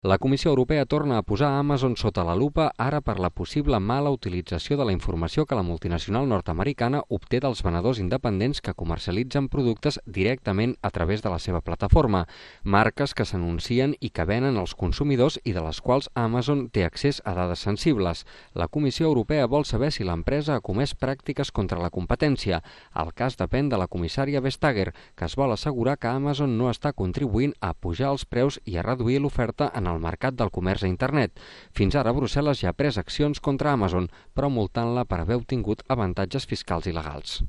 La Comissió Europea torna a posar Amazon sota la lupa ara per la possible mala utilització de la informació que la multinacional nord-americana obté dels venedors independents que comercialitzen productes directament a través de la seva plataforma, marques que s'anuncien i que venen als consumidors i de les quals Amazon té accés a dades sensibles. La Comissió Europea vol saber si l'empresa ha comès pràctiques contra la competència. El cas depèn de la comissària Vestager, que es vol assegurar que Amazon no està contribuint a pujar els preus i a reduir l'oferta en el mercat del comerç a internet. Fins ara, Brussel·les ja ha pres accions contra Amazon, però multant-la per haver obtingut avantatges fiscals il·legals.